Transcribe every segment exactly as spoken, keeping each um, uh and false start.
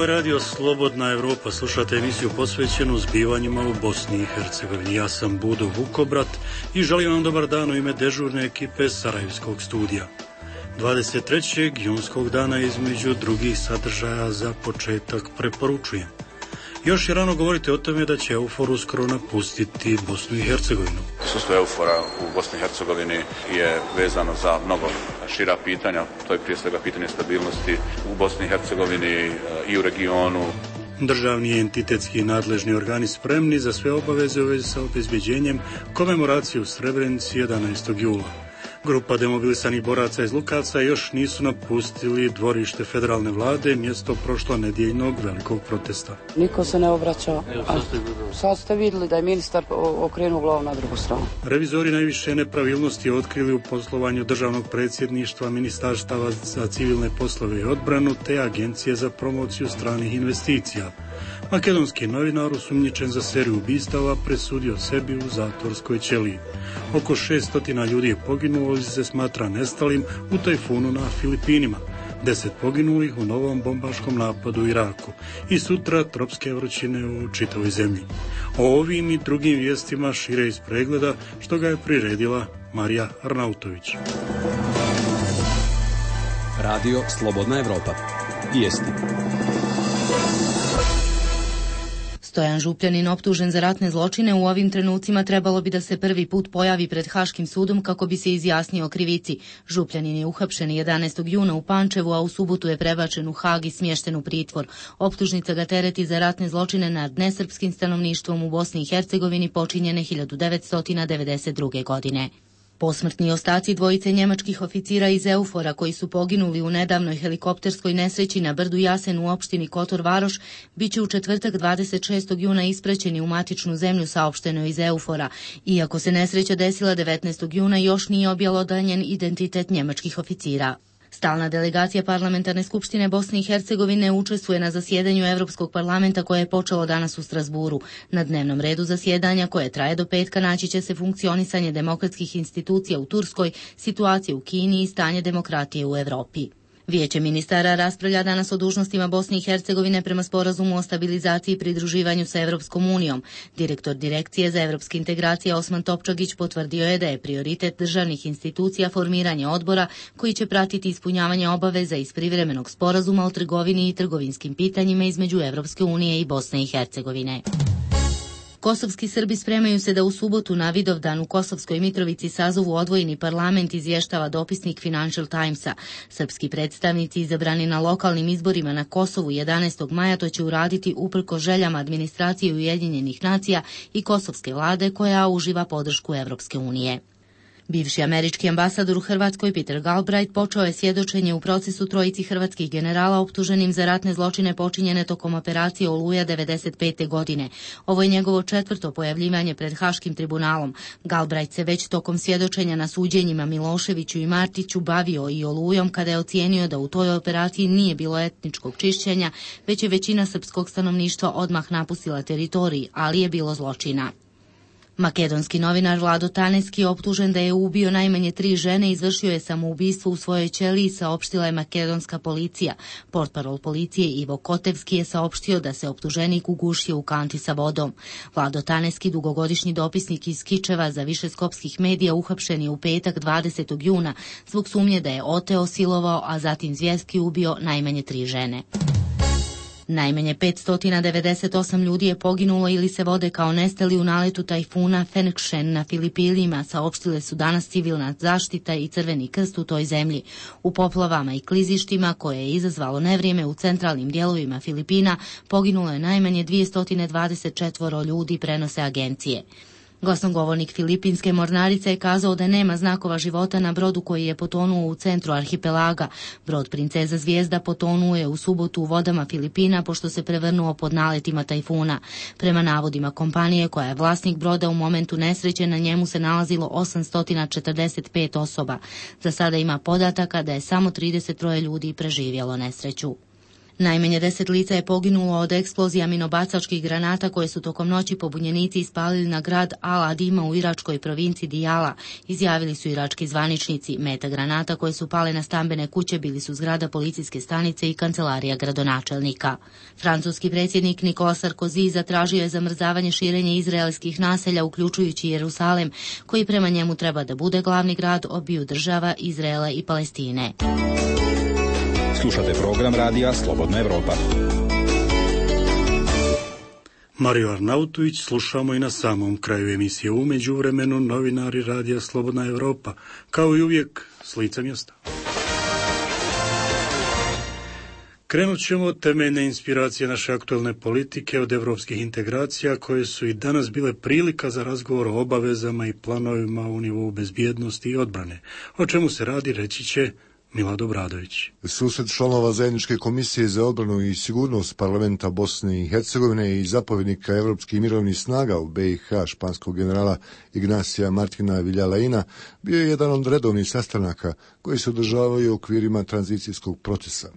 je radio Slobodna Evropa, slušate emisiju posvećenu zbivanjima u Bosni i Hercegovini. Ja sam Budo Vukobrat i želim vam dobar dan u ime dežurne ekipe Sarajevskog studija. dvadeset trećeg junskog dana između drugih sadržaja za početak preporučujem. Još je rano govoriti o tome da će EUFOR uskoro napustiti Bosnu i Hercegovinu. Prisustvo EUFOR-a u Bosni i Hercegovini je vezano za mnogo šira pitanja. To je prije svega pitanje stabilnosti u Bosni i Hercegovini i u regionu. Državni i entitetski nadležni organi spremni za sve obaveze u vezi sa obezbeđenjem komemoracije u Srebrenici jedanaestog jula. Grupa demobilisanih boraca iz Lukaca još nisu napustili dvorište federalne vlade, mjesto prošlonedjeljnog velikog protesta. Niko se ne obraća. A sad ste vidjeli da je ministar okrenuo glavu na drugu stranu. Revizori najviše nepravilnosti otkrili u poslovanju državnog predsjedništva, ministarstava za civilne poslove i odbranu te agencije za promociju stranih investicija. Makedonski novinar osumnjičen za seriju ubistava presudio sebi u zatvorskoj ćeliji. Oko šessto ljudi je poginulo ili se smatra nestalim u tajfunu na Filipinima. Deset poginulih u novom bombaškom napadu u Iraku i sutra tropske vrućine u čitavoj zemlji. O ovim i drugim vijestima šire iz pregleda što ga je priredila Marija Arnautović. Radio Slobodna Evropa. Vijesti. Stojan Župljanin, optužen za ratne zločine, u ovim trenucima trebalo bi da se prvi put pojavi pred Haškim sudom kako bi se izjasnio o krivici. Župljanin je uhapšen jedanaestog juna u Pančevu, a u subotu je prebačen u Hag i smješten u pritvor. Optužnica ga tereti za ratne zločine nad nesrpskim stanovništvom u Bosni i Hercegovini počinjene hiljadu devetsto devedeset druge. godine. Posmrtni ostaci dvojice njemačkih oficira iz EUFOR-a koji su poginuli u nedavnoj helikopterskoj nesreći na brdu Jasen u opštini Kotor Varoš biće u četvrtak dvadeset šestog juna ispraćeni u matičnu zemlju, saopšteno iz EUFOR-a. Iako se nesreća desila devetnaestog juna, još nije objelodanjen identitet njemačkih oficira. Stalna delegacija Parlamentarne skupštine Bosne i Hercegovine učestvuje na zasjedanju Evropskog parlamenta koje je počelo danas u Strasburu. Na dnevnom redu zasjedanja, koje traje do petka, naći će se funkcionisanje demokratskih institucija u Turskoj, situacija u Kini i stanje demokratije u Evropi. Vijeće ministara raspravlja danas o dužnostima Bosne i Hercegovine prema sporazumu o stabilizaciji i pridruživanju sa Evropskom unijom. Direktor Direkcije za evropske integracije Osman Topčagić potvrdio je da je prioritet državnih institucija formiranje odbora koji će pratiti ispunjavanje obaveza iz privremenog sporazuma o trgovini i trgovinskim pitanjima između Evropske unije i Bosne i Hercegovine. Kosovski Srbi spremaju se da u subotu na Vidovdan u Kosovskoj Mitrovici sazovu odvojeni parlament, izvještava dopisnik Financial Timesa. Srpski predstavnici izabrani na lokalnim izborima na Kosovu jedanaestog maja to će uraditi uprko željama administracije Ujedinjenih nacija i kosovske vlade koja uživa podršku Evropske unije. Bivši američki ambasador u Hrvatskoj Peter Galbraith počeo je svjedočenje u procesu trojici hrvatskih generala optuženim za ratne zločine počinjene tokom operacije Oluja devedeset pete. godine. Ovo je njegovo četvrto pojavljivanje pred Haškim tribunalom. Galbraith se već tokom svjedočenja na suđenjima Miloševiću i Martiću bavio i Olujom kada je ocijenio da u toj operaciji nije bilo etničkog čišćenja, već je većina srpskog stanovništva odmah napustila teritorij, ali je bilo zločina. Makedonski novinar Vlado Taneski, optužen da je ubio najmanje tri žene, izvršio je samoubistvo u svojoj ćeliji, saopštila je makedonska policija. Portparol policije Ivo Kotevski je saopštio da se optuženik ugušio u kanti sa vodom. Vlado Taneski, dugogodišnji dopisnik iz Kičeva za više skopskih medija, uhapšen je u petak dvadesetog juna zbog sumnje da je oteo, silovao, a zatim zvjerski ubio najmanje tri žene. Najmanje petsto devedeset osam ljudi je poginulo ili se vode kao nestali u naletu tajfuna Fenkšen na Filipinima, saopštile su danas civilna zaštita i Crveni krst u toj zemlji. U poplavama i klizištima koje je izazvalo nevrijeme u centralnim dijelovima Filipina poginulo je najmanje dvjesto dvadeset četiri ljudi, prenose agencije. Glasnogovornik filipinske mornarice je kazao da nema znakova života na brodu koji je potonuo u centru arhipelaga. Brod Princeza Zvijezda potonuo je u subotu u vodama Filipina pošto se prevrnuo pod naletima tajfuna. Prema navodima kompanije koja je vlasnik broda, u momentu nesreće na njemu se nalazilo osamsto četrdeset pet osoba. Za sada ima podataka da je samo trideset troje ljudi preživjelo nesreću. Najmanje deset lica je poginulo od eksplozija minobacačkih granata koje su tokom noći pobunjenici ispalili na grad Al-Adima u iračkoj provinciji Dijala, izjavili su irački zvaničnici. Meta granata koje su pale na stambene kuće bili su zgrada policijske stanice i kancelarija gradonačelnika. Francuski predsjednik Nicolas Sarkozy zatražio je zamrzavanje širenja izraelskih naselja, uključujući Jerusalem, koji prema njemu treba da bude glavni grad obiju država Izraela i Palestine. Slušate program radija Slobodna Evropa. Mariju Arnautović slušamo i na samom kraju emisije. U međuvremenu novinari radija Slobodna Evropa, kao i uvijek s lica mjesta. Krenut ćemo od temeljne inspiracije naše aktualne politike, od evropskih integracija koje su i danas bile prilika za razgovor o obavezama i planovima u nivou bezbjednosti i odbrane. O čemu se radi, reći će Milad Obradović. Susret članova zajedničke komisije za odbranu i sigurnost parlamenta Bosne i Hercegovine i zapovjednika Evropskih mirovnih snaga u B i H španskog generala Ignacija Martina Villalejna bio je jedan od redovnih sastanaka koji se održavaju u okvirima tranzicijskog procesa.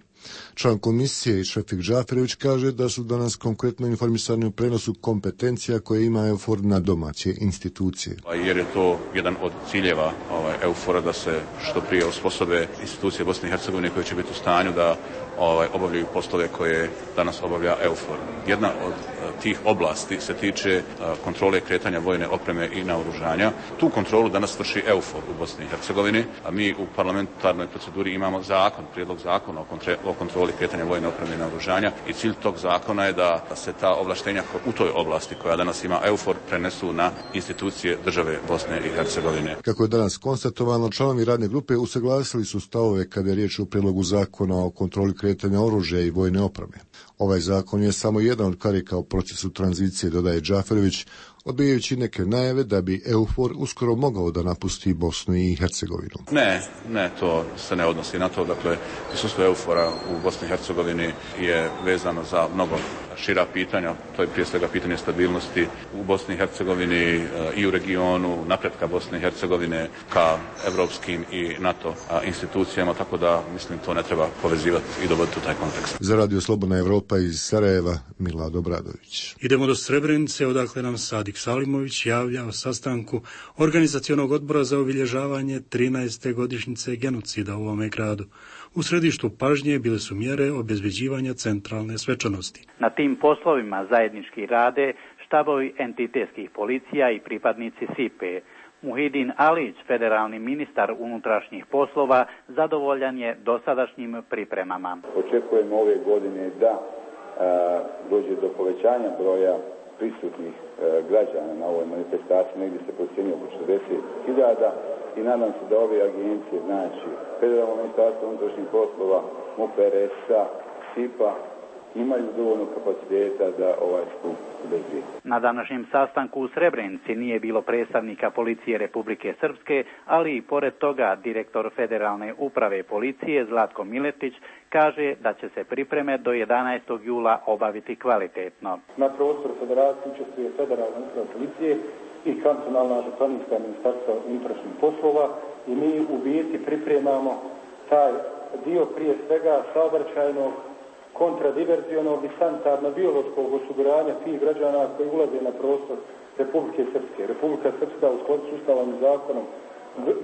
Član komisije Šefik Džaferević kaže da su danas konkretno informisani u prenosu kompetencija koje ima EUFOR na domaće institucije. Jer je to jedan od ciljeva ovaj, EUFOR-a da se što prije osposobe institucije Bosne i Hercegovine koje će biti u stanju da ovaj, obavljaju poslove koje danas obavlja EUFOR. Jedna od tih oblasti se tiče kontrole kretanja vojne opreme i naoružanja. Tu kontrolu danas vrši EUFOR u Bosni i Hercegovini, a mi u parlamentarnoj proceduri imamo zakon, prijedlog zakona o, kontre, o kontroli kretanja vojne opreme i naoružanja i cilj tog zakona je da se ta ovlaštenja u toj oblasti koja danas ima EUFOR prenesu na institucije države Bosne i Hercegovine. Kako je danas konstatovano, članovi radne grupe usaglasili su stavove kada je riječ o prijedlogu zakona o kontroli kretanja oružja i vojne opreme. Ovaj zakon je samo jedan od karika u procesu tranzicije, dodaje Džaferević, odbijajući neke najave da bi EUFOR uskoro mogao da napusti Bosnu i Hercegovinu. Ne, ne, to se ne odnosi na to. Dakle, prisustvo EUFOR-a u Bosni i Hercegovini je vezano za mnogo šira pitanja. To je prije svega pitanje stabilnosti u Bosni i Hercegovini i u regionu, napretka Bosne i Hercegovine ka evropskim i NATO institucijama, tako da, mislim, to ne treba povezivati i dovoditi u taj kontekst. Za Radio Slobodna Evropa iz Sarajeva, Milad Obradović. Idemo do Srebrenice, odakle nam Sadik Salimović javlja o sastanku organizacionog odbora za obilježavanje trinaeste godišnjice genocida u ovome gradu. U središtu pažnje bile su mjere obezbeđivanja centralne svečanosti. Na tim poslovima zajednički rade štabovi entitetskih policija i pripadnici S I P E. Muhidin Alić, federalni ministar unutrašnjih poslova, zadovoljan je dosadašnjim pripremama. Očekujemo ove godine da a, dođe do povećanja broja prisutnih a, građana na ovoj manifestaciji, negdje se procjenjuje oko četrdeset hiljada i nadam se da ove agencije, znači Federalno ministarstvo unutrašnjih poslova, M U P R S-a, S I P A, imaju dovoljno kapaciteta da ovaj skup bezbije. Na današnjem sastanku u Srebrenici nije bilo predstavnika policije Republike Srpske, ali i pored toga direktor Federalne uprave policije Zlatko Miletić kaže da će se pripreme do jedanaestog jula obaviti kvalitetno. Na prostoru federacije učestvuje Federalna uprava policije i kantonalna županijska ministarstva unutrašnjih poslova i mi u biti pripremamo taj dio prije svega saobraćajnog, kontradiverzionog i sanitarno-biološkog osiguranja tih građana koji ulaze na prostor Republike Srpske. Republika Srpska u skladu s Ustavom i zakonom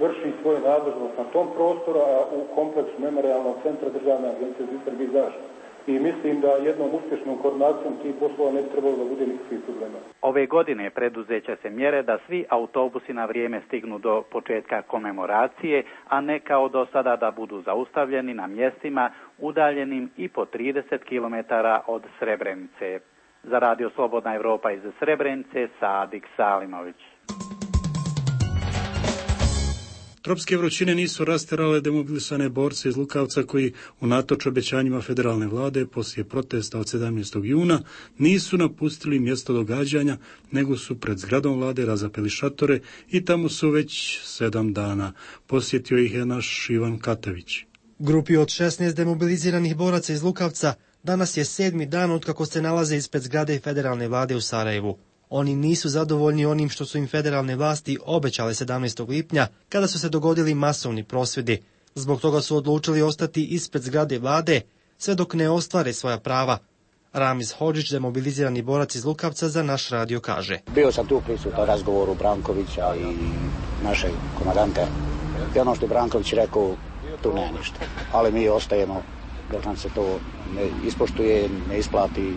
vrši svoje nadležnost na tom prostoru, a u kompleksu memorijalnog centra Državne agencije za istragu i zaštitu. I mislim da jednom uspješnom koordinacijom tih poslova ne trebalo da bude nikakvih problema. Ove godine preduzeće se mjere da svi autobusi na vrijeme stignu do početka komemoracije, a ne kao do sada da budu zaustavljeni na mjestima udaljenim i po trideset kilometara od Srebrenice. Za Radio Slobodna Evropa iz Srebrenice, Sadik Salimović. Tropske vrućine nisu rasterale demobilisane borce iz Lukavca koji, unatoč obećanjima federalne vlade poslije protesta od sedamnaestog juna, nisu napustili mjesto događanja, nego su pred zgradom vlade razapeli šatore i tamo su već sedam dana. Posjetio ih je naš Ivan Katević. Grupi od šesnaest demobiliziranih boraca iz Lukavca danas je sedmi dan otkako se nalaze ispred zgrade federalne vlade u Sarajevu. Oni nisu zadovoljni onim što su im federalne vlasti obećale sedamnaestog lipnja, kada su se dogodili masovni prosvjedi. Zbog toga su odlučili ostati ispred zgrade vlade, sve dok ne ostvare svoja prava. Ramiz Hodžić, demobilizirani borac iz Lukavca, za naš radio kaže. Bio sam tu prisutan razgovoru Brankovića i našeg komandanta. I ono što je Branković rekao, tu nema ništa. Ali mi ostajemo dok nam se to ne ispoštuje, ne isplati.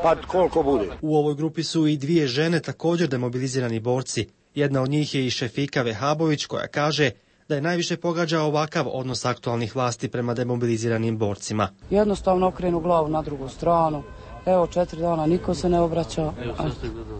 Pa koliko bude. U ovoj grupi su i dvije žene, također demobilizirani borci. Jedna od njih je i Šefika Vehabović, koja kaže da je najviše pogađa ovakav odnos aktualnih vlasti prema demobiliziranim borcima. Jednostavno okrenu glavu na drugu stranu. Evo, četiri dana niko se ne obraća. A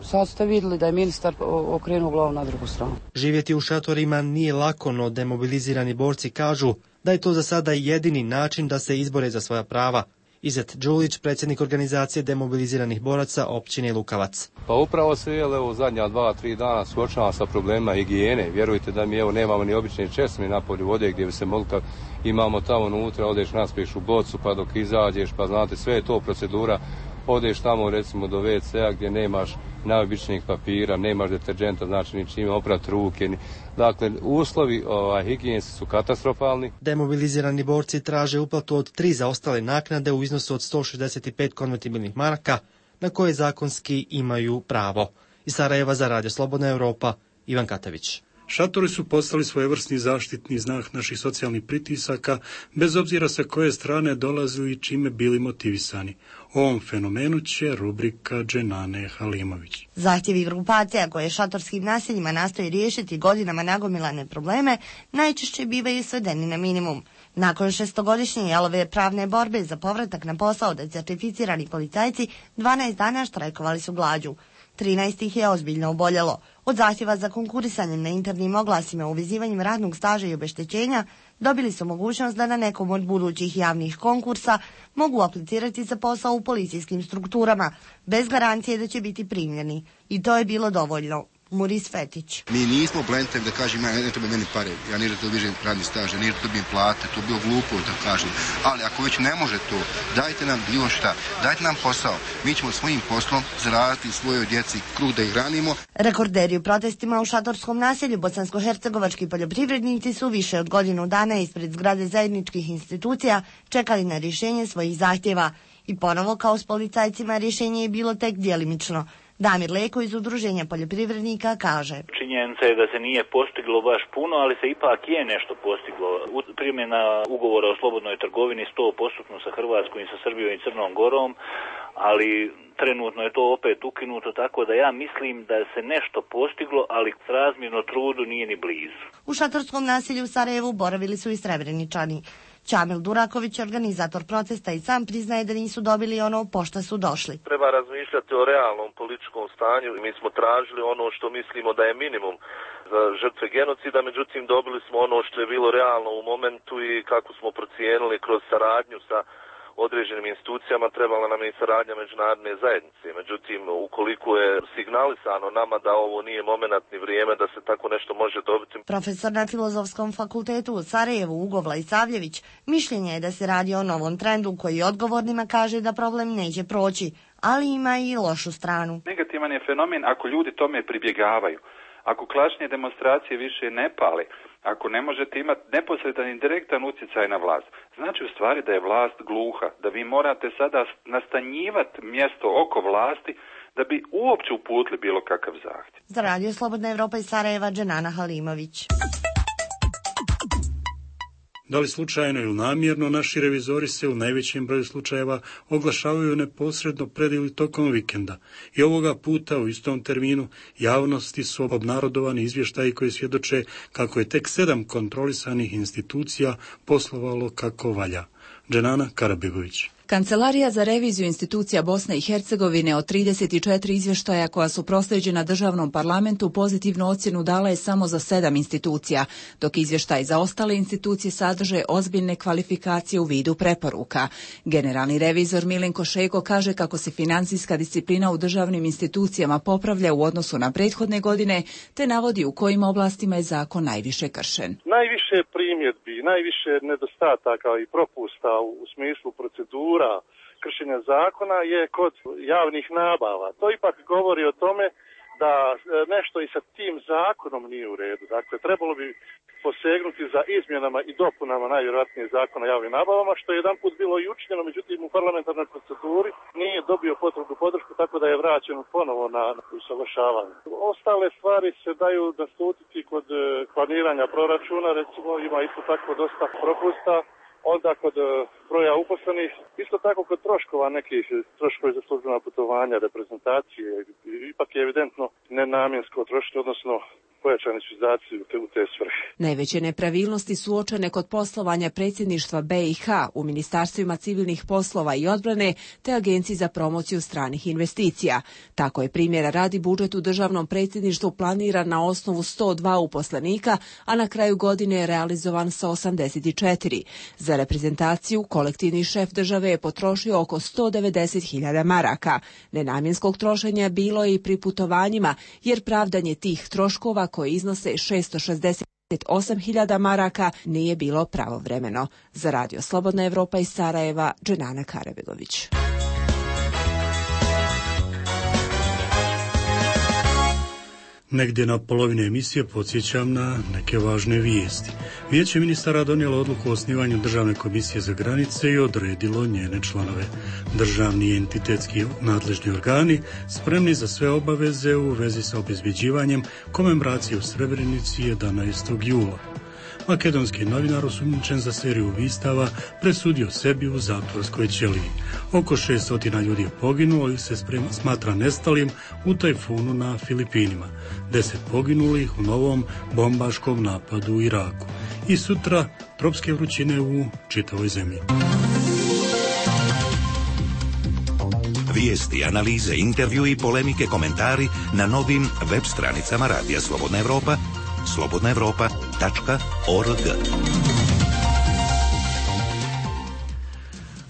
sad ste vidjeli da je ministar okrenuo glavu na drugu stranu. Živjeti u šatorima nije lako, no demobilizirani borci kažu da je to za sada jedini način da se izbore za svoja prava. Izet Đulić, predsjednik organizacije demobiliziranih boraca općine Lukavac. Pa upravo se je u zadnja dva, tri dana suočava sa problema higijene. Vjerujte da mi evo nemamo ni obične česme na polju vode gdje bi se mogli, kad imamo tamo unutra, odeš naspiješ u bocu pa dok izađeš, pa znate sve je to procedura. Odeš tamo recimo do ve ce a gdje nemaš najobičnijeg papira, nemaš deterđenta, znači ni čime oprati ruke. Ni... Dakle, uslovi ovaj, higijenski su katastrofalni. Demobilizirani borci traže uplatu od tri zaostale naknade u iznosu od sto šezdeset pet konvertibilnih maraka na koje zakonski imaju pravo. Iz Sarajeva za Radio Slobodna Europa, Ivan Katavić. Šatori su postali svojevrsni zaštitni znak naših socijalnih pritisaka, bez obzira sa koje strane dolazili i čime bili motivisani. O ovom fenomenu će rubrika Dženane Halimović. Zahtjevi grupacija koje šatorskim naseljima nastoji riješiti godinama nagomilane probleme najčešće bivaju svedeni na minimum. Nakon šestogodišnje jalove pravne borbe za povratak na posao da certificirani policajci dvanaest dana štrajkovali su glađu. trinaest ih je ozbiljno oboljelo. Od zahtjeva za konkurisanjem na internim oglasima uvezivanjem radnog staža i obeštećenja dobili su mogućnost da na nekom od budućih javnih konkursa mogu aplicirati za posao u policijskim strukturama, bez garancije da će biti primljeni. I to je bilo dovoljno. Muris Fetić. Mi nismo blentevi da kažem, ja ne treba meni pare, ja nije da dobižem radni staž, ja nije da dobijem plate, to je bilo glupo da kažem. Ali ako već ne može to, dajte nam bilo šta, dajte nam posao. Mi ćemo svojim poslom zaraditi svojoj djeci kruh da ih hranimo. Rekorderi u protestima u šatorskom naselju bosansko-hercegovački poljoprivrednici su više od godinu dana ispred zgrade zajedničkih institucija čekali na rješenje svojih zahtjeva. I ponovo kao s policajcima rješenje je bilo tek djelimično. Damir Leko iz Udruženja poljoprivrednika kaže. Činjenica je da se nije postiglo baš puno, ali se ipak je nešto postiglo. Primjena ugovora o slobodnoj trgovini sto posto sa Hrvatskom i sa Srbijom i Crnom Gorom, ali trenutno je to opet ukinuto, tako da ja mislim da se nešto postiglo, ali srazmjerno trudu nije ni blizu. U šatorskom naselju u Sarajevu boravili su i Srebreničani. Čamil Duraković, organizator protesta, i sam priznaje da nisu dobili ono po šta su došli. Treba razmišljati o realnom političkom stanju. Mi smo tražili ono što mislimo da je minimum za žrtve genocida, međutim dobili smo ono što je bilo realno u momentu i kako smo procijenili kroz saradnju sa određenim institucijama, trebala nam i saradnja međunarodne zajednice. Međutim, ukoliko je signalisano nama da ovo nije moment ni vrijeme da se tako nešto može dobiti. Profesor na Filozofskom fakultetu u Sarajevu Uglavla Isavljević mišljenje je da se radi o novom trendu koji odgovornima kaže da problem neće proći, ali ima i lošu stranu. Negativan je fenomen ako ljudi tome pribjegavaju. Ako klašnje demonstracije više ne pale, ako ne možete imati neposredan i direktan utjecaj na vlast, znači u stvari da je vlast gluha, da vi morate sada nastanjivati mjesto oko vlasti da bi uopće uputili bilo kakav zahtjev. Za Radio Slobodna Evropa iz Sarajeva, Dženana Halimović. Da li slučajno ili namjerno, naši revizori se u najvećem broju slučajeva oglašavaju neposredno pred ili tokom vikenda. I ovoga puta u istom terminu javnosti su obnarodovani izvještaji koji svjedoče kako je tek sedam kontrolisanih institucija poslovalo kako valja. Dženana Karabegović. Kancelarija za reviziju institucija Bosne i Hercegovine od trideset četiri izvještaja koja su proslijeđena državnom parlamentu pozitivnu ocjenu dala je samo za sedam institucija, dok izvještaj za ostale institucije sadrže ozbiljne kvalifikacije u vidu preporuka. Generalni revizor Milenko Šego kaže kako se financijska disciplina u državnim institucijama popravlja u odnosu na prethodne godine, te navodi u kojim oblastima je zakon najviše kršen. Najviše primjedbi, najviše nedostataka i propusta u smislu procedura kršenja zakona je kod javnih nabava. To ipak govori o tome da nešto i sa tim zakonom nije u redu. Dakle, trebalo bi posegnuti za izmjenama i dopunama najvjerojatnije zakona o javnim nabavama, što je jedan put bilo i učinjeno, međutim u parlamentarnoj proceduri nije dobio potrebnu podršku, tako da je vraćen ponovo na usaglašavanje. Ostale stvari se daju naslutiti kod planiranja proračuna, recimo ima isto tako dosta propusta, onda kod broja uposlenih, isto tako kod troškova nekih, troškovi za službena putovanja, reprezentacije, ipak je evidentno nenamjensko trošenje, odnosno pojačani su izdaci u te svrhe. Najveće nepravilnosti su uočene kod poslovanja predsjedništva B i H u ministarstvima civilnih poslova i odbrane te Agenciji za promociju stranih investicija. Tako je primjera radi budžet u državnom predsjedništvu planiran na osnovu sto dva uposlenika, a na kraju godine je realizovan sa osamdeset četiri. Za reprezentaciju kolektivni šef države je potrošio oko sto devedeset hiljada maraka. Nenamjenskog trošenja bilo je i pri putovanjima, jer pravdanje tih troškova koje iznose šesto šezdeset osam hiljada maraka nije bilo pravovremeno. Za Radio Slobodna Evropa iz Sarajeva, Dženana Karabegović. Negdje na polovini emisije podsjećam na neke važne vijesti. Vijeće ministara donijelo odluku o osnivanju Državne komisije za granice i odredilo njene članove. Državni i entitetski nadležni organi spremni za sve obaveze u vezi sa obezbjeđivanjem komemoracije u Srebrenici jedanaestog jula. Makedonski novinar osumnjičen za seriju ubistava presudio sebi u zatvorskoj ćeliji. Oko šesto ljudi je poginulo ili se sprema, smatra nestalim u tajfunu na Filipinima. Deset poginulih u novom bombaškom napadu u Iraku. I sutra tropske vrućine u čitavoj zemlji. Vijesti, analize, intervju i polemike, komentari na novim web stranicama Radija Slobodna Evropa, slobodna evropa tačka org.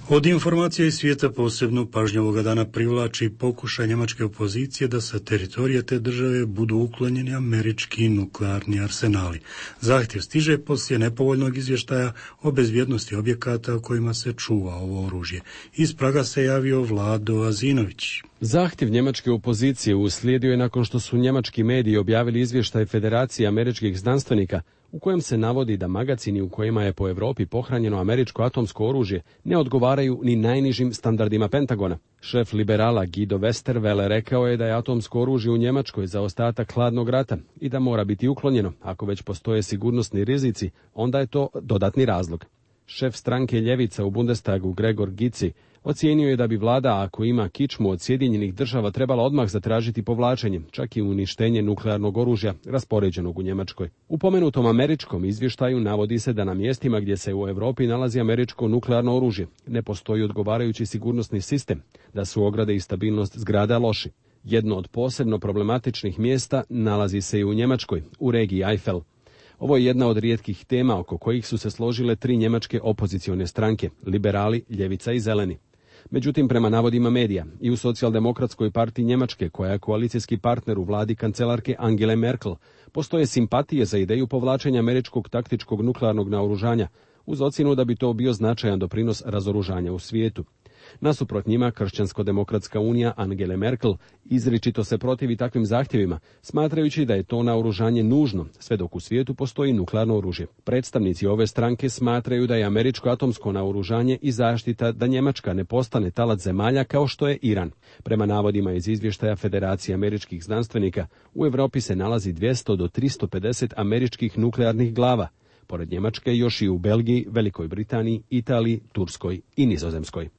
Od informacija iz svijeta posebno pažnju ovoga dana privlači pokušaj njemačke opozicije da sa teritorija te države budu uklonjeni američki nuklearni arsenali. Zahtjev stiže poslije nepovoljnog izvještaja o bezbjednosti objekata u kojima se čuva ovo oružje. Iz Praga se javio Vlado Azinović. Zahtjev njemačke opozicije uslijedio je nakon što su njemački mediji objavili izvještaj Federacije američkih znanstvenika u kojem se navodi da magacini u kojima je po Europi pohranjeno američko atomsko oružje ne odgovaraju ni najnižim standardima Pentagona. Šef liberala Guido Westerwelle rekao je da je atomsko oružje u Njemačkoj za ostatak hladnog rata i da mora biti uklonjeno. Ako već postoje sigurnosni rizici, onda je to dodatni razlog. Šef stranke Ljevica u Bundestagu Gregor Gysi ocijenio je da bi vlada, ako ima kičmu od Sjedinjenih država, trebala odmah zatražiti povlačenje, čak i uništenje nuklearnog oružja raspoređenog u Njemačkoj. U pomenutom američkom izvještaju navodi se da na mjestima gdje se u Europi nalazi američko nuklearno oružje ne postoji odgovarajući sigurnosni sistem, da su ograde i stabilnost zgrada loši. Jedno od posebno problematičnih mjesta nalazi se i u Njemačkoj, u regiji Eifel. Ovo je jedna od rijetkih tema oko kojih su se složile tri njemačke opozicione stranke, liberali, ljevica i zeleni. Međutim, prema navodima medija, i u Socijaldemokratskoj partiji Njemačke, koja je koalicijski partner u vladi kancelarke Angele Merkel, postoje simpatije za ideju povlačenja američkog taktičkog nuklearnog naoružanja, uz ocjenu da bi to bio značajan doprinos razoružanja u svijetu. Nasuprot njima, Kršćansko-demokratska unija Angele Merkel izričito se protivi takvim zahtjevima, smatrajući da je to naoružanje nužno, sve dok u svijetu postoji nuklearno oružje. Predstavnici ove stranke smatraju da je američko atomsko naoružanje i zaštita da Njemačka ne postane talac zemalja kao što je Iran. Prema navodima iz izvještaja Federacije američkih znanstvenika, u Europi se nalazi dvjesto do tristo pedeset američkih nuklearnih glava, pored Njemačke još i u Belgiji, Velikoj Britaniji, Italiji, Turskoj i Nizozemskoj.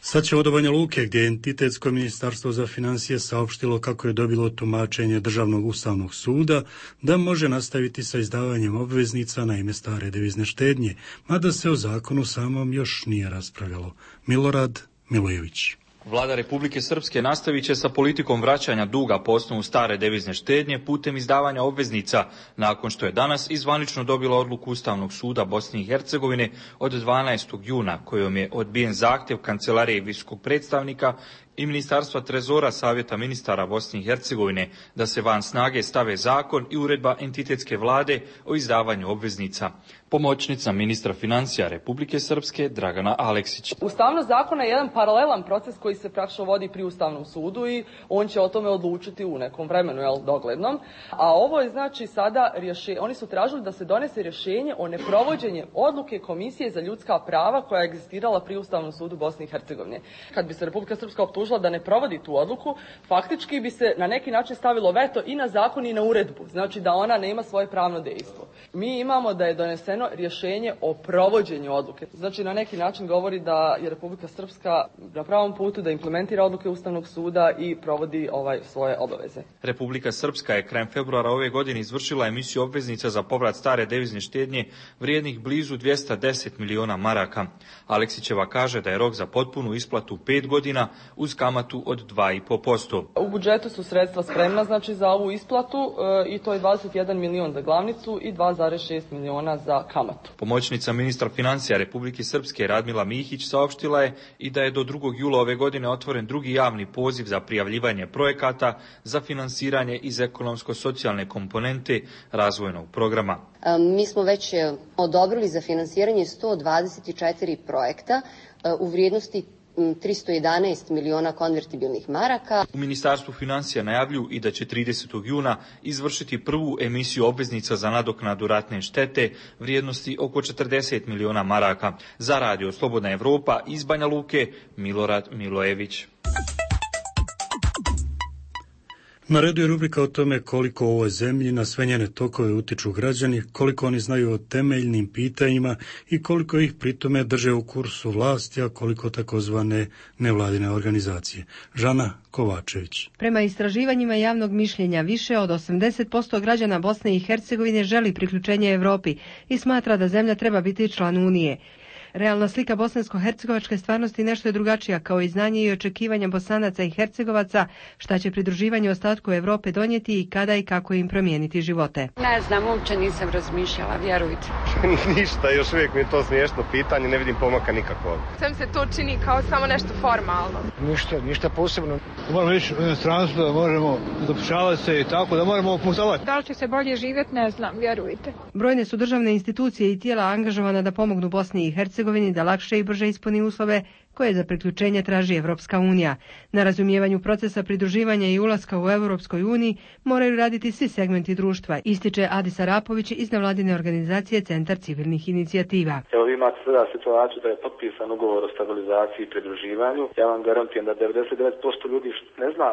Sad ćemo do Banja Luke, gdje je entitetsko ministarstvo za financije saopštilo kako je dobilo tumačenje Državnog ustavnog suda da može nastaviti sa izdavanjem obveznica na ime stare devizne štednje, mada se o zakonu samom još nije raspravljalo. Milorad Milojević. Vlada Republike Srpske nastavit će sa politikom vraćanja duga po osnovu stare devizne štednje putem izdavanja obveznica, nakon što je danas izvanično dobila odluku Ustavnog suda Bosne i Hercegovine od dvanaestog juna, kojom je odbijen zahtjev Kancelarije visokog predstavnika i Ministarstva trezora Savjeta ministara Bosne i Hercegovine da se van snage stave zakon i uredba entitetske vlade o izdavanju obveznica. Pomoćnica ministra financija Republike Srpske Dragana Aleksić. Ustavnost zakona je jedan paralelan proces koji se praktično vodi pri Ustavnom sudu i on će o tome odlučiti u nekom vremenu, jel, doglednom. A ovo je znači sada rješenje, oni su tražili da se donese rješenje o neprovođenju odluke Komisije za ljudska prava koja je egzistirala pri Ustavnom sudu Bosne i Hercegovine. Kad bi se Republika Srpska optužila da ne provodi tu odluku, faktički bi se na neki način stavilo veto i na zakon i na uredbu, znači da ona nema svoje pravno dejstvo. Mi imamo da je doneseno rješenje o provođenju odluke. Znači na neki način govori da je Republika Srpska na pravom putu da implementira odluke Ustavnog suda i provodi ovaj svoje obaveze. Republika Srpska je krajem februara ove godine izvršila emisiju obveznica za povrat stare devizne štednje vrijednih blizu dvjesto deset miliona maraka. Aleksićeva kaže da je rok za potpunu isplatu pet godina uz kamatu od dva i po posto. U budžetu su sredstva spremna znači za ovu isplatu e, i to je dvadeset jedan milion za glavnicu i dva zarez šest miliona za kamatu. Pomoćnica ministra financija Republike Srpske Radmila Mihić saopštila je i da je do drugog jula ove godine otvoren drugi javni poziv za prijavljivanje projekata za finansiranje iz ekonomsko-socijalne komponente razvojnog programa. Mi smo već odobrili za finansiranje sto dvadeset četiri projekta u vrijednosti tristo jedanaest miliona konvertibilnih maraka. U Ministarstvu financija najavljuju i da će tridesetog juna izvršiti prvu emisiju obveznica za nadoknadu ratne štete vrijednosti oko četrdeset miliona maraka. Za Radio Slobodna Evropa iz Banja Luke, Milorad Milojević. Na redu je rubrika o tome koliko u ovoj zemlji na sve njene tokove utiču građani, koliko oni znaju o temeljnim pitanjima i koliko ih pritome drže u kursu vlasti, a koliko takozvane nevladine organizacije. Žana Kovačević. Prema istraživanjima javnog mišljenja, više od osamdeset posto građana Bosne i Hercegovine želi priključenje Evropi i smatra da zemlja treba biti član Unije. Realna slika bosansko-hercegovačke stvarnosti nešto je drugačija, kao i znanje i očekivanja Bosanaca i Hercegovaca šta će pridruživanje ostatku Evrope donijeti i kada i kako im promijeniti živote. Ne znam, uopće nisam razmišljala, vjerujte. Ništa, još uvijek mi je to smiješno pitanje, ne vidim pomaka nikakvog. Sam se to čini kao samo nešto formalno. Ništa, ništa posebno. Moramo ići u inostranstvo, da možemo zapošljavati se i tako, da moramo putovati. Da li će se bolje živjeti, ne znam, vjerujte. Brojne su državne institucije i tijela angažovana da pomognu Bosni i Hercegovini da lakše i brže ispuni uslove koje za priključenje traži Evropska unija. Na razumijevanju procesa pridruživanja i ulaska u Evropskoj uniji moraju raditi svi segmenti društva, ističe Adis Arapović iz nevladine organizacije Centar civilnih inicijativa. Evo vi imate sada situaciju da je potpisan ugovor o stabilizaciji i pridruživanju. Ja vam garantujem da devedeset devet posto ljudi ne zna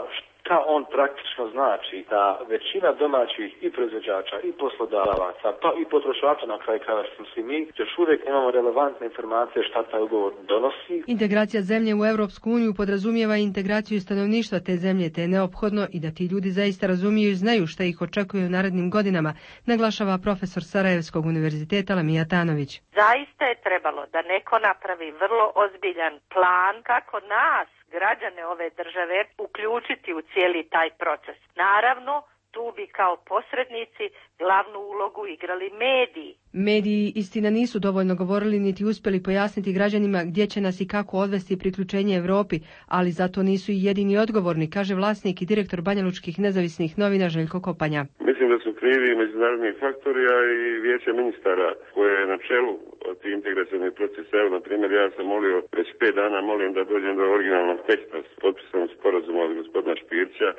šta on praktično znači, da većina domaćih i proizvođača i poslodavaca, pa i potrošača na kraju krajeva smo svi mi, još uvijek nemamo relevantne informacije šta taj ugovor donosi. Integracija zemlje u Europsku uniju podrazumijeva integraciju stanovništva te zemlje, te je neophodno i da ti ljudi zaista razumiju i znaju šta ih očekuje u narednim godinama, naglašava profesor Sarajevskog univerziteta Lamija Tanović. Zaista je trebalo da neko napravi vrlo ozbiljan plan kako nas, građane ove države, uključiti u cijeli taj proces. Naravno, tu bi kao posrednici glavnu ulogu igrali mediji. Mediji, istina, nisu dovoljno govorili niti uspjeli pojasniti građanima gdje će nas i kako odvesti priključenje Europi, ali zato nisu i jedini odgovorni, kaže vlasnik i direktor banjalučkih nezavisnih novina Željko Kopanja. Mislim da su krivi međunarodni faktori, a i vijeće ministara koje je na čelu od integracijnih procesa. Evo, na primjer, ja sam molio, već pet dana molim da dođem do originalnog teksta s potpisanom sporazuma od gospodina Špirća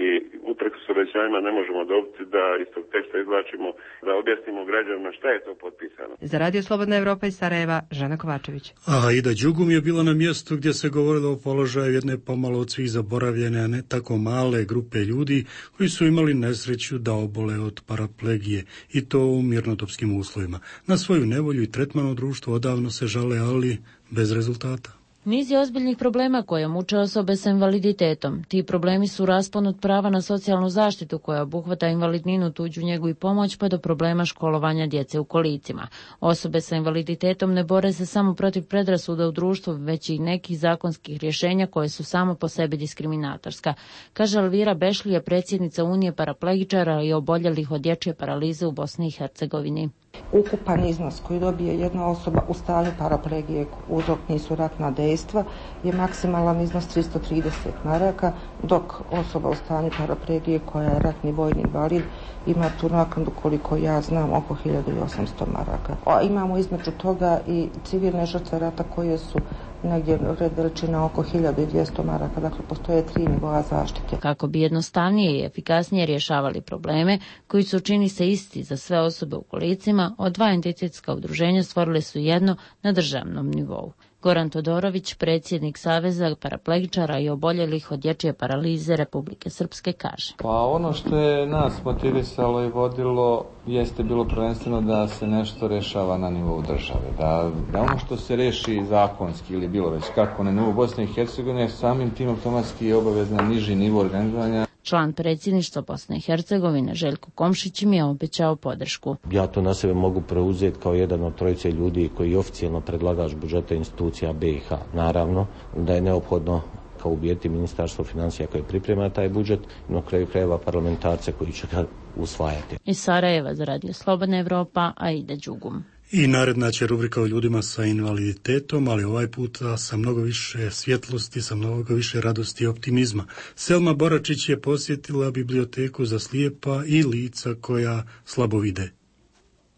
i uprkos obećanjima ne možemo dobiti da iz tog teksta izvlačimo, da objasnimo građanima šta je to potpisano. Za Radio Slobodna Evropa iz Sarajeva, Žana Kovačević. A Ida Đugum je bila na mjestu gdje se govorilo o položaju jedne pomalo od svih zaboravljene, a ne tako male grupe ljudi koji su imali nesreću da obole od paraplegije i to u mirnodopskim uslovima. Na svoju nevolju i tretman u društvu odavno se žale, ali bez rezultata. Niz je ozbiljnih problema koje muče osobe sa invaliditetom. Ti problemi su raspon od prava na socijalnu zaštitu koja obuhvata invalidninu, tuđu njegu i pomoć, pa do problema školovanja djece u kolicima. Osobe sa invaliditetom ne bore se samo protiv predrasuda u društvu, već i nekih zakonskih rješenja koje su samo po sebi diskriminatorska. Kaže Elvira Bešlija, predsjednica Unije paraplegičara i oboljelih od dječje paralize u Bosni i Hercegovini. Ukupan iznos koji dobije jedna osoba u stanju paraplegije, uzrok nisu ratna dejstva, je maksimalan iznos tristo trideset maraka, dok osoba u stanju paraplegije koja je ratni vojni invalid ima tu naknadu, koliko ja znam, oko hiljadu osamsto maraka. A imamo između toga i civilne žrtve rata koje su negdje red veličina oko hiljadu dvjesto maraka, dakle postoje tri nivoa zaštite. Kako bi jednostavnije i efikasnije rješavali probleme koji su čini se isti za sve osobe u kolicima, od dva entitetska udruženja stvorili su jedno na državnom nivou. Goran Todorović, predsjednik Saveza paraplegičara i oboljelih od dječje paralize Republike Srpske, kaže. Pa ono što je nas motivisalo i vodilo jeste bilo prvenstveno da se nešto rešava na nivou države. Da, da ono što se reši zakonski ili bilo već kako na nivou Bosne i Hercegovine, samim tim automatski je obavezan niži nivo organizovanja. Član predsjedništva Bosne i Hercegovine Željko Komšić mi je obećao podršku. Ja to na sebe mogu preuzeti kao jedan od trojice ljudi koji je oficijalno predlagač budžeta institucija B i H. Naravno da je neophodno kao ubijeti ministarstvo financija koje priprema taj budžet, no kraju krajeva parlamentarce koji će ga usvajati. Iz Sarajeva za Radio Slobodna Evropa, Aida Đugum. I naredna će rubrika o ljudima sa invaliditetom, ali ovaj puta sa mnogo više svjetlosti, sa mnogo više radosti i optimizma. Selma Boračić je posjetila biblioteku za slijepa i lica koja slabo vide.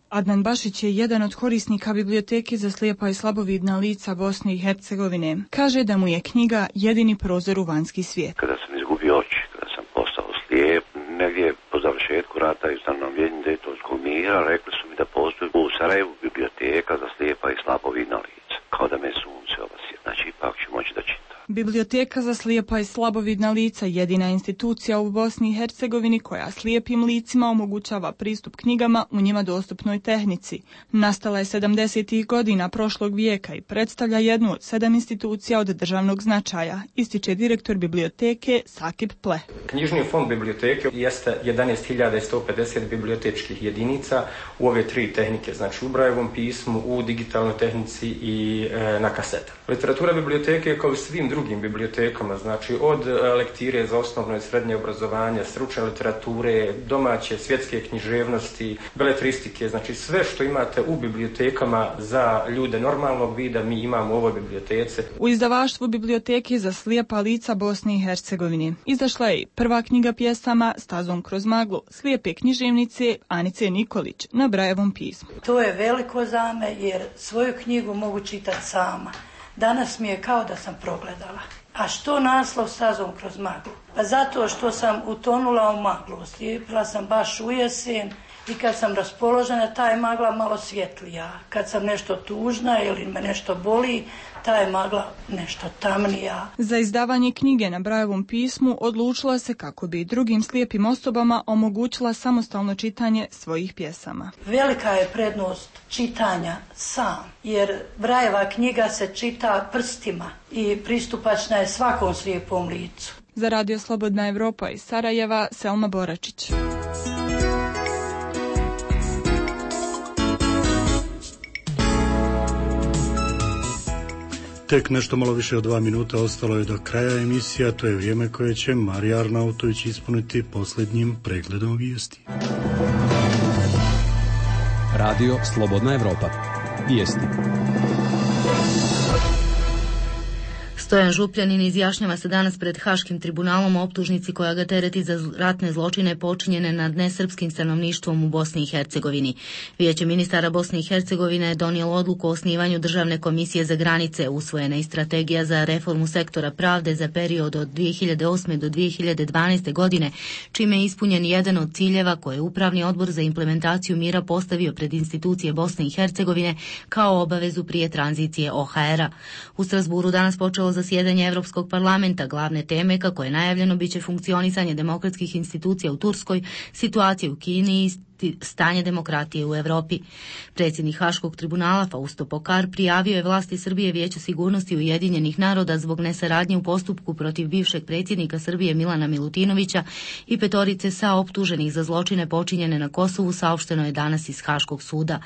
Adnan Bašić je jedan od korisnika biblioteke za slijepa i slabovidna lica Bosne i Hercegovine. Kaže da mu je knjiga jedini prozor u vanjski svijet. Kada sam izgubio oči, kada sam postao slijep, negdje po završetku rata i ustanovljenju Dejtonskog mira, rekli su mi da postoji u Sarajevu biblioteka za slijepa i slabovidna lica. Kao da me sunce obasje, znači ipak ću moći da čitam. Biblioteka za slijepa i slabovidna lica jedina institucija u Bosni i Hercegovini koja slijepim licima omogućava pristup knjigama u njima dostupnoj tehnici. Nastala je sedamdesetih godina prošlog vijeka i predstavlja jednu od sedam institucija od državnog značaja, ističe direktor biblioteke Sakip Ple. Knjižni fond biblioteke jeste jedanaest hiljada sto pedeset bibliotečkih jedinica u ove tri tehnike, znači u Brajevom pismu, u digitalnoj tehnici i e, na kasetama. Literatura biblioteke kao i svim drugim bibliotekama, znači od lektire za osnovno i srednje obrazovanje, stručne literature, domaće, svjetske književnosti, beletristike, znači sve što imate u bibliotekama za ljude normalnog vida mi imamo u ovoj biblioteci. U izdavaštvu biblioteke za slijepa lica Bosne i Hercegovine izašla je prva knjiga pjesama Stazom kroz maglu slijepe književnice Anice Nikolić na Brajevom pismu. To je veliko za me jer svoju knjigu mogu čitati sama. Danas mi je kao da sam progledala. A što naslov Stazom kroz maglu? Pa zato što sam utonula u maglu. Slijepila sam baš u jesen i kad sam raspoložena, ta je magla malo svjetlija. Kad sam nešto tužna ili me nešto boli, ta je magla nešto tamnija. Za izdavanje knjige na Brajevom pismu odlučila se kako bi drugim slijepim osobama omogućila samostalno čitanje svojih pjesama. Velika je prednost čitanja sam, jer Brajeva knjiga se čita prstima i pristupačna je svakom slijepom licu. Za Radio Slobodna Evropa iz Sarajeva, Selma Boračić. Tek nešto malo više od dva minuta ostalo je do kraja emisija, to je vrijeme koje će Marija Arnautović ispuniti posljednjim pregledom vijesti. Radio Slobodna Evropa. Vijesti. Stojan Župljanin izjašnjava se danas pred Haškim tribunalom o optužnici koja ga tereti za ratne zločine počinjene nad nesrpskim stanovništvom u Bosni i Hercegovini. Vijeće ministara Bosne i Hercegovine je donijelo odluku o osnivanju Državne komisije za granice, usvojena i strategija za reformu sektora pravde za period od dvije hiljade osme do dvije hiljade dvanaeste godine, čime je ispunjen jedan od ciljeva koje je Upravni odbor za implementaciju mira postavio pred institucije Bosne i Hercegovine kao obavezu prije tranzicije O H R-a. U Strasburu danas počelo zasjedanje Europskog parlamenta. Glavne teme, kako je najavljeno, biće funkcionisanje demokratskih institucija u Turskoj, situacija u Kini i stanje demokratije u Europi. Predsjednik Haškog tribunala Fausto Pokar prijavio je vlasti Srbije Vijeću sigurnosti Ujedinjenih naroda zbog nesaradnje u postupku protiv bivšeg predsjednika Srbije Milana Milutinovića i petorice sa optuženih za zločine počinjene na Kosovu, saopšteno je danas iz Haškog suda.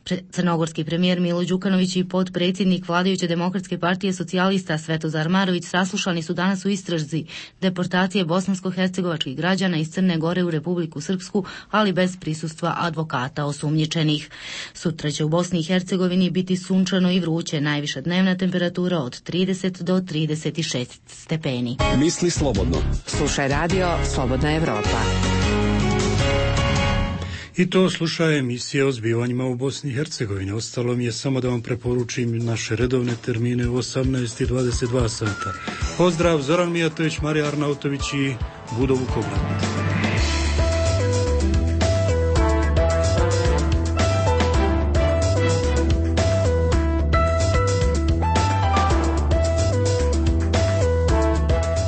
Pre- crnogorski premijer Milo Đukanović i potpredsjednik vladajuće demokratske partije socijalista Svetozar Marović saslušani su danas u istrazi deportacije bosansko-hercegovačkih građana iz Crne Gore u Republiku Srpsku, ali bez prisutnosti prisustva advokata osumnjičenih. Sutra će u Bosni i Hercegovini biti sunčano i vruće, najviša dnevna temperatura od trideset do trideset šest stepeni. Misli slobodno. Slušaj radio Slobodna Evropa. I to sluša emisije o zbivanjima u Bosni i Hercegovini. Ostalo mi je samo da vam preporučim naše redovne termine u osamnaest i dvadeset dva sata. Pozdrav, Zoran Mijatović, Marija Arnautović i Budo Vukobran.